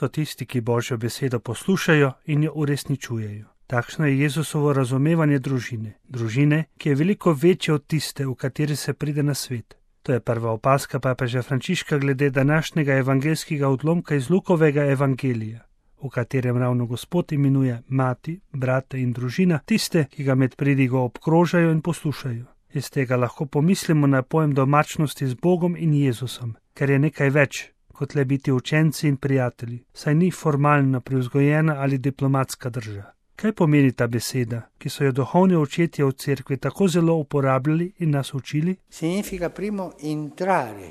so tisti, ki Božjo besedo poslušajo in jo uresničujejo. Takšno je Jezusovo razumevanje družine. Družine, ki je veliko večja od tiste, v kateri se pride na svet. To je prva opazka papeža Frančiška glede današnjega evangeljskega odlomka iz Lukovega evangelija, v katerem ravno Gospod imenuje mati, brate in družina, tiste, ki ga med pridigo obkrožajo in poslušajo. Iz tega lahko pomislimo na pojem domačnosti z Bogom in Jezusom, ker je nekaj več, kot le biti učenci in prijatelji, saj ni formalna, privzgojena ali diplomatska drža. Kaj pomeni ta beseda, ki so jo duhovni očetje v cerkvi tako zelo uporabljali in nas učili? Significa primo entrare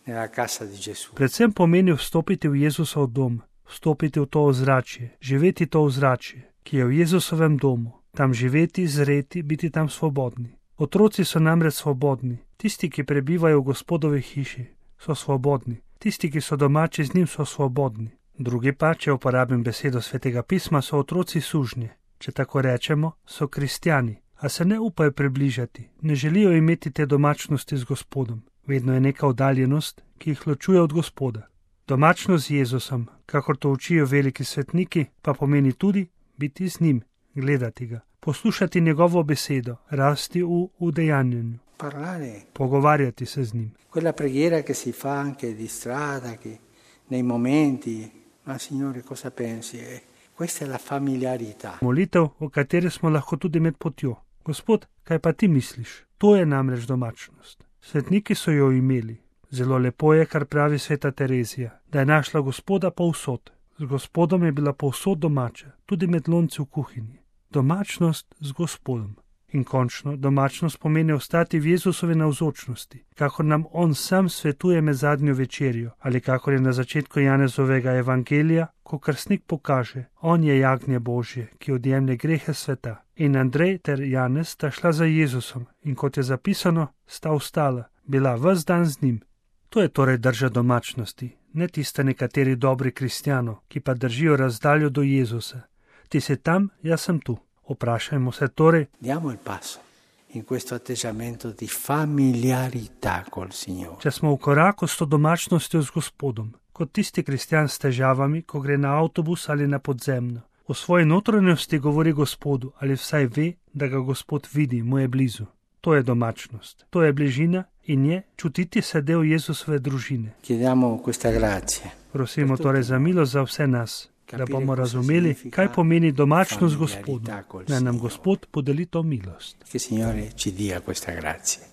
nella casa di Gesù. Predvsem pomeni vstopiti v Jezusov dom, vstopiti v to ozračje, živeti to ozračje, ki je v Jezusovem domu, tam živeti, zreti, biti tam svobodni. Otroci so namreč svobodni, tisti, ki prebivajo v Gospodovi hiši, so svobodni, tisti, ki so domači z njim, so svobodni. Drugi pa, če uporabim besedo Svetega pisma, so otroci sužnje. Če tako rečemo, so kristjani, a se ne upajo približati, ne želijo imeti te domačnosti z Gospodom. Vedno je neka oddaljenost, ki jih ločuje od Gospoda. Domačnost z Jezusom, kakor to učijo veliki svetniki, pa pomeni tudi biti z njim, gledati ga, poslušati njegovo besedo, rasti v udejanjenju. Pogovarjati se z njim. Quella preghiera che si fa anche di strada, che nei momenti, ma Signore, cosa pensi? Questa è la familiarità. Molitev, v kateri smo lahko tudi med potjo. Gospod, kaj pa ti misliš? To je namreč domačnost. Svetniki so jo imeli. Zelo lepo je, kar pravi sveta Terezija, da je našla Gospoda povsod. Z Gospodom je bila povsod domača, tudi med lonci v kuhinji. Domačnost z Gospodom. In končno, domačnost pomeni ostati v Jezusovi navzočnosti, kakor nam on sam svetuje med zadnjo večerjo, ali kakor je na začetku Janezovega evangelija, ko krstnik pokaže, on je jagnje Božje, ki odjemlje grehe sveta. In Andrej ter Janez sta šla za Jezusom in kot je zapisano, sta ostala, bila ves dan z njim. To je torej drža domačnosti, ne tista nekateri dobri kristjanov, ki pa držijo razdaljo do Jezusa. Ti si tam, jaz sem tu. Vprašajmo se torej, diamo il passo in questo atteggiamento di familiarità col Signore. Če smo v koraku s to domačnostjo z Gospodom, kot tisti kristjan s težavami, ko gre na avtobus ali na podzemno. V svoji notranjosti govori Gospodu ali vsaj ve, da ga Gospod vidi, mu je blizu. To je domačnost, to je bližina in je čutiti se del Jezusove družine. Chiediamo questa grazia. Prosimo torej za milost za vse nas, da bomo razumeli, kaj pomeni domačnost Gospodu. Naj nam Gospod podeli to milost. Che Signore ci dia questa grazia.